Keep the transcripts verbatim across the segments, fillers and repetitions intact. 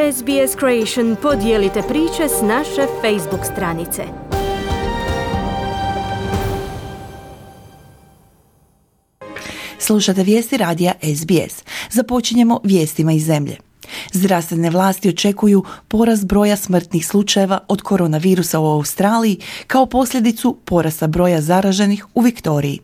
S B S Creation podijelite priče s naše Facebook stranice. Slušate vijesti radija S B S. Započinjemo vijestima iz zemlje. Zdravstvene vlasti očekuju porast broja smrtnih slučajeva od koronavirusa u Australiji kao posljedicu porasta broja zaraženih u Viktoriji.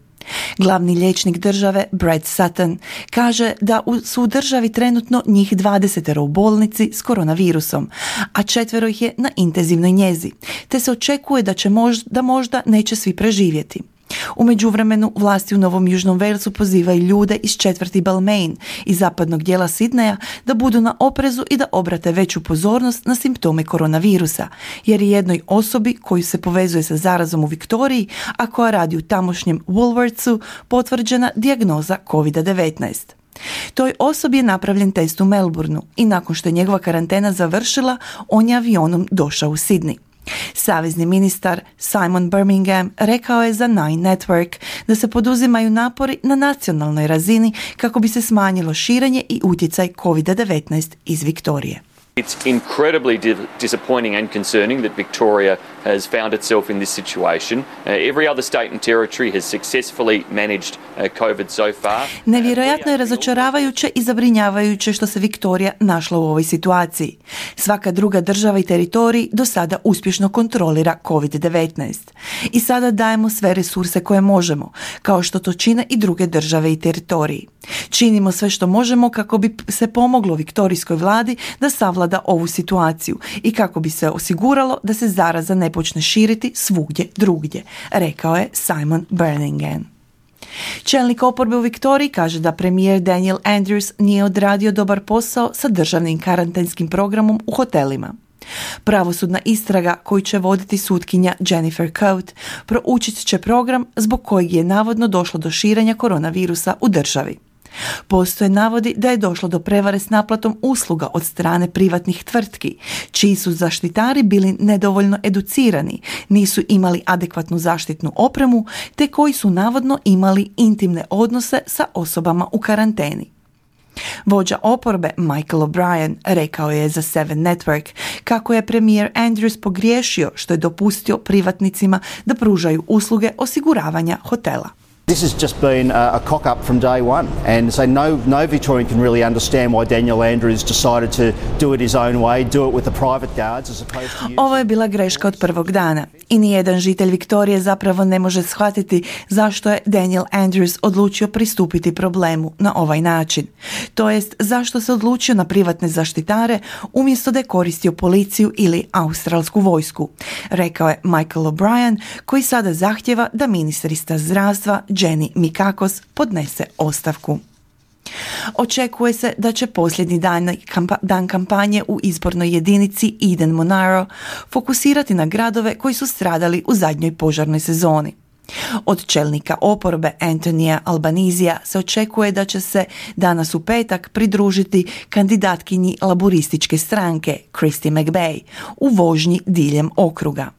Glavni liječnik države Brad Sutton kaže da su u državi trenutno njih dvadeset u bolnici s koronavirusom, a četvero ih je na intenzivnoj njezi, te se očekuje da će možda, da možda neće svi preživjeti. U međuvremenu vlasti u Novom Južnom Walesu pozivaju ljude iz četvrti Balmain i zapadnog dijela Sidneja da budu na oprezu i da obrate veću pozornost na simptome koronavirusa, jer je jednoj osobi koju se povezuje sa zarazom u Viktoriji, a koja radi u tamošnjem Woolworthsu, potvrđena dijagnoza covid devetnaest. Toj osobi je napravljen test u Melbourneu i nakon što je njegova karantena završila, on je avionom došao u Sydney. Savezni ministar Simon Birmingham rekao je za Nine Network da se poduzimaju napori na nacionalnoj razini kako bi se smanjilo širenje i utjecaj covid devetnaest iz Viktorije. It's incredibly di- disappointing and concerning that Victoria has found itself in this situation. Uh, every other state and territory has successfully managed uh, COVID so far. Nevjerojatno je razočaravajuće i zabrinjavajuće što se Viktorija našla u ovoj situaciji. Svaka druga država i teritorij do sada uspješno kontrolira covid devetnaest. I sada dajemo sve resurse koje možemo, kao što to čine i druge države i teritoriji. Činimo sve što možemo kako bi se pomoglo viktorijskoj vladi da savlada ovu situaciju i kako bi se osiguralo da se zaraza ne počne širiti svugdje drugdje, rekao je Simon Birmingham. Čelnik oporbe u Viktoriji kaže da premijer Daniel Andrews nije odradio dobar posao sa državnim karantenskim programom u hotelima. Pravosudna istraga koju će voditi sutkinja Jennifer Coate proučit će program zbog kojeg je navodno došlo do širenja koronavirusa u državi. Postoje navodi da je došlo do prevare s naplatom usluga od strane privatnih tvrtki, čiji su zaštitari bili nedovoljno educirani, nisu imali adekvatnu zaštitnu opremu, te koji su navodno imali intimne odnose sa osobama u karanteni. Vođa oporbe Michael O'Brien rekao je za Seven Network kako je premijer Andrews pogriješio što je dopustio privatnicima da pružaju usluge osiguravanja hotela. This has just been a, a cock-up from day one, and so no, no Victorian can really understand why Daniel Andrews decided to do it his own way, do it with the private guards as opposed to using... Ovo je bila greška od prvog dana i nijedan žitelj Viktorije zapravo ne može shvatiti zašto je Daniel Andrews odlučio pristupiti problemu na ovaj način. To jest, zašto se odlučio na privatne zaštitare umjesto da je koristio policiju ili australsku vojsku, rekao je Michael O'Brien, koji sada zahtjeva da ministrica zdravstva Jenny Mikakos podnese ostavku. Očekuje se da će posljednji dan, kampa, dan kampanje u izbornoj jedinici Eden Monaro fokusirati na gradove koji su stradali u zadnjoj požarnoj sezoni. Od čelnika oporbe Antonija Albanizija se očekuje da će se danas u petak pridružiti kandidatkinji laborističke stranke Christy McBay u vožnji diljem okruga.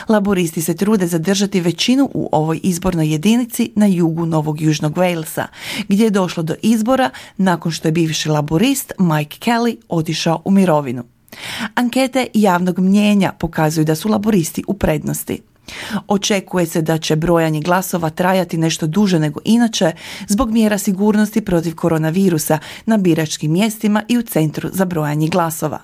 Laboristi se trude zadržati većinu u ovoj izbornoj jedinici na jugu Novog Južnog Walesa, gdje je došlo do izbora nakon što je bivši laborist Mike Kelly otišao u mirovinu. Ankete javnog mnijenja pokazuju da su laboristi u prednosti. Očekuje se da će brojanje glasova trajati nešto duže nego inače zbog mjera sigurnosti protiv koronavirusa na biračkim mjestima i u centru za brojanje glasova.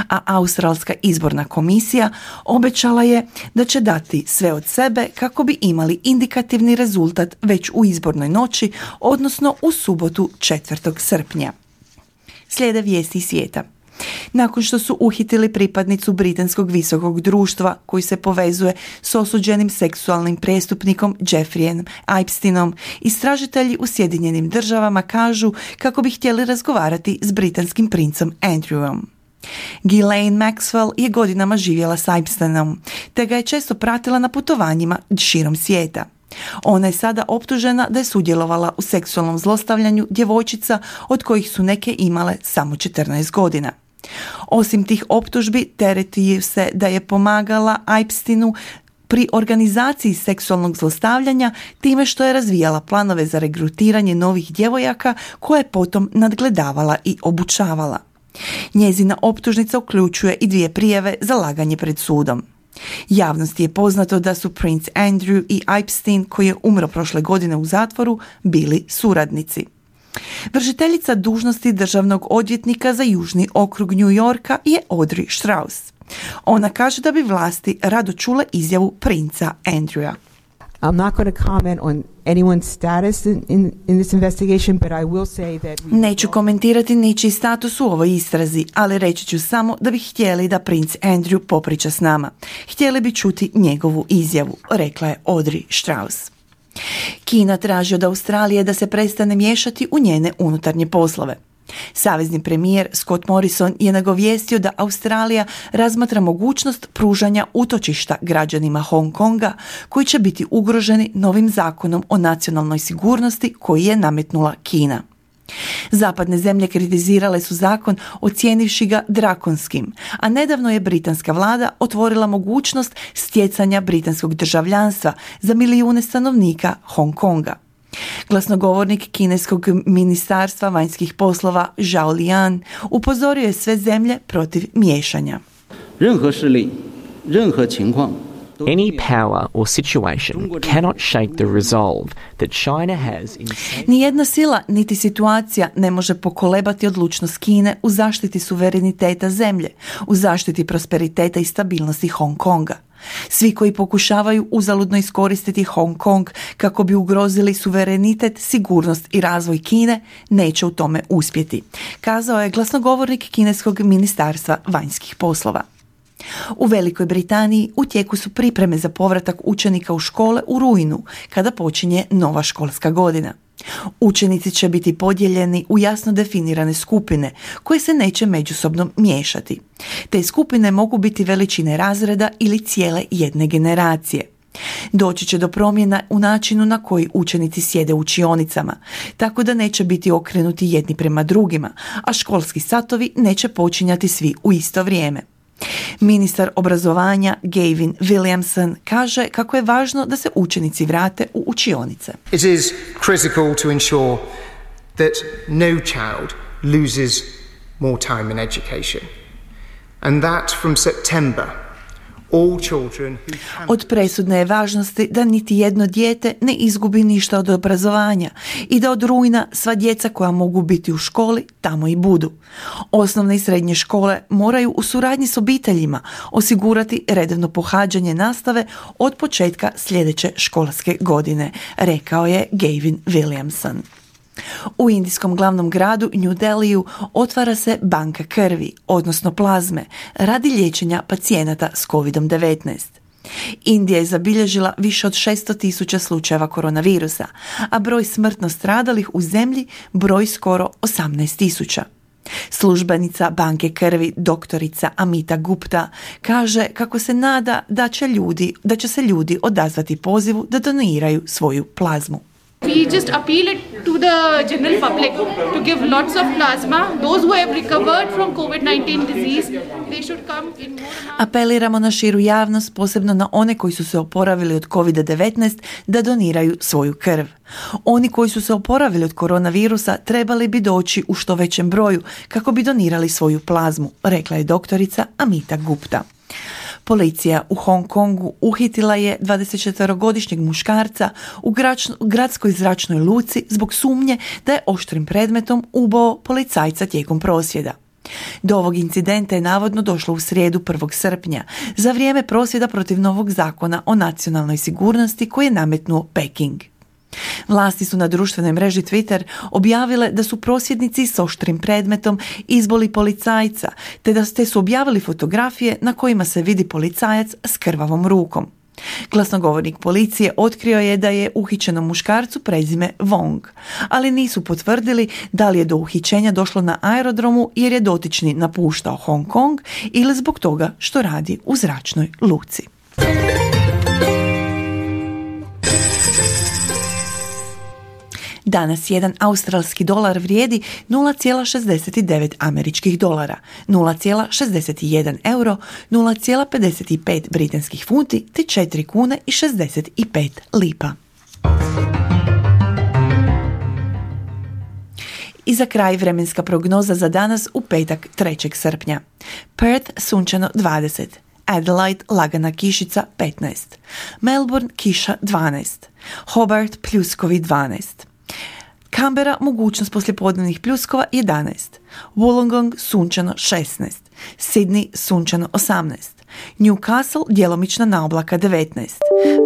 A Australska izborna komisija obećala je da će dati sve od sebe kako bi imali indikativni rezultat već u izbornoj noći, odnosno u subotu četvrtog srpnja. Slijede vijesti iz svijeta. Nakon što su uhitili pripadnicu britanskog visokog društva koji se povezuje s osuđenim seksualnim prestupnikom Jeffreyem Epsteinom, istražitelji u Sjedinjenim državama kažu kako bi htjeli razgovarati s britanskim princom Andrewom. Ghislaine Maxwell je godinama živjela s Epsteinom, te ga je često pratila na putovanjima širom svijeta. Ona je sada optužena da je sudjelovala u seksualnom zlostavljanju djevojčica od kojih su neke imale samo četrnaest godina. Osim tih optužbi, tereti se da je pomagala Epsteinu pri organizaciji seksualnog zlostavljanja time što je razvijala planove za regrutiranje novih djevojaka koje je potom nadgledavala i obučavala. Njezina optužnica uključuje i dvije prijave za laganje pred sudom. Javnosti je poznato da su Prince Andrew i Epstein, koji je umro prošle godine u zatvoru, bili suradnici. Vršiteljica dužnosti državnog odvjetnika za južni okrug New Yorka je Audrey Strauss. Ona kaže da bi vlasti rado čule izjavu princa Andrewa. I'm not going to comment on anyone's status in, in, in this investigation, but I will say that... We... Neću komentirati ničiji status u ovoj istrazi, ali reći ću samo da bi htjeli da princ Andrew popriča s nama. Htjeli bi čuti njegovu izjavu, rekla je Audrey Strauss. Kina traži od Australije da se prestane miješati u njene unutarnje poslove. Savezni premijer Scott Morrison je nagovijestio da Australija razmatra mogućnost pružanja utočišta građanima Hong Konga koji će biti ugroženi novim zakonom o nacionalnoj sigurnosti koji je nametnula Kina. Zapadne zemlje kritizirale su zakon ocijenivši ga drakonskim, a nedavno je britanska vlada otvorila mogućnost stjecanja britanskog državljanstva za milijune stanovnika Hong Konga. Glasnogovornik kineskog ministarstva vanjskih poslova Zhao Lian upozorio je sve zemlje protiv miješanja. Any power or situation cannot shake the resolve that China has in... Nijedna sila niti situacija ne može pokolebati odlučnost Kine u zaštiti suvereniteta zemlje, u zaštiti prosperiteta i stabilnosti Hong Konga. Svi koji pokušavaju uzaludno iskoristiti Hong Kong kako bi ugrozili suverenitet, sigurnost i razvoj Kine neće u tome uspjeti, kazao je glasnogovornik kineskog ministarstva vanjskih poslova. U Velikoj Britaniji u tijeku su pripreme za povratak učenika u škole u rujnu, kada počinje nova školska godina. Učenici će biti podijeljeni u jasno definirane skupine koje se neće međusobno miješati. Te skupine mogu biti veličine razreda ili cijele jedne generacije. Doći će do promjena u načinu na koji učenici sjede u učionicama, tako da neće biti okrenuti jedni prema drugima, a školski satovi neće počinjati svi u isto vrijeme. Ministar obrazovanja Gavin Williamson kaže kako je važno da se učenici vrate u učionice. It is critical to ensure that no child loses more time in education and that from September all children who can... Od presudne je važnosti da niti jedno dijete ne izgubi ništa od obrazovanja i da od rujna sva djeca koja mogu biti u školi tamo i budu. Osnovne i srednje škole moraju u suradnji s obiteljima osigurati redovno pohađanje nastave od početka sljedeće školske godine, rekao je Gavin Williamson. U indijskom glavnom gradu New Delhiju otvara se banka krvi, odnosno plazme, radi liječenja pacijenata s kovid devetnaest. Indija je zabilježila više od šesto tisuća slučajeva koronavirusa, a broj smrtno stradalih u zemlji broj skoro osamnaest tisuća. Službenica banke krvi doktorica Amita Gupta kaže kako se nada da će, ljudi, da će se ljudi odazvati pozivu da doniraju svoju plazmu. We just appeal it to the general public to give lots of plasma. Those who have recovered from covid nineteen disease, they should come in more amounts. Apeliramo na širu javnost, posebno na one koji su se oporavili od kovid devetnaest, da doniraju svoju krv. Oni koji su se oporavili od koronavirusa trebali bi doći u što većem broju kako bi donirali svoju plazmu, rekla je doktorica Amita Gupta. Policija u Hong Kongu uhitila je dvadesetčetverogodišnjeg muškarca u gradskoj zračnoj luci zbog sumnje da je oštrim predmetom ubao policajca tijekom prosvjeda. Do ovog incidenta je navodno došlo u srijedu prvog srpnja, za vrijeme prosvjeda protiv novog zakona o nacionalnoj sigurnosti koji je nametnuo Peking. Vlasti su na društvenoj mreži Twitter objavile da su prosvjednici s oštrim predmetom izboli policajca, te da te su objavili fotografije na kojima se vidi policajac s krvavom rukom. Glasnogovornik policije otkrio je da je uhićenom muškarcu prezime Wong, ali nisu potvrdili da li je do uhićenja došlo na aerodromu jer je dotični napuštao Hong Kong ili zbog toga što radi u zračnoj luci. Danas jedan australski dolar vrijedi nula zarez šezdeset devet američkih dolara, nula zarez šezdeset jedan euro, nula zarez pedeset pet britanskih funti te četiri kune i šezdeset pet lipa. I za kraj vremenska prognoza za danas u petak trećeg srpnja. Perth sunčano dvadeset, Adelaide lagana kišica petnaest, Melbourne kiša dvanaest, Hobart pljuskovi dvanaest, Canberra mogućnost poslijepodnevnih pljuskova jedanaest, Wollongong sunčano šesnaest, Sydney sunčano osamnaest, Newcastle djelomična naoblaka devetnaest,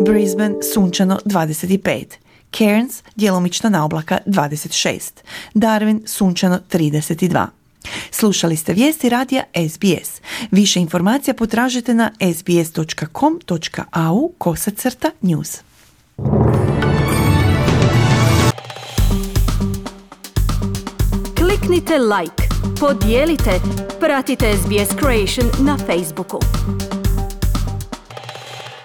Brisbane sunčano dvadeset pet, Cairns djelomična naoblaka dvadeset šest, Darwin sunčano trideset dva. Slušali ste vijesti radija S B S. Više informacija potražite na sbs dot com dot a u kosacrta news. Kliknite like, podijelite, pratite S B S Creation na Facebooku.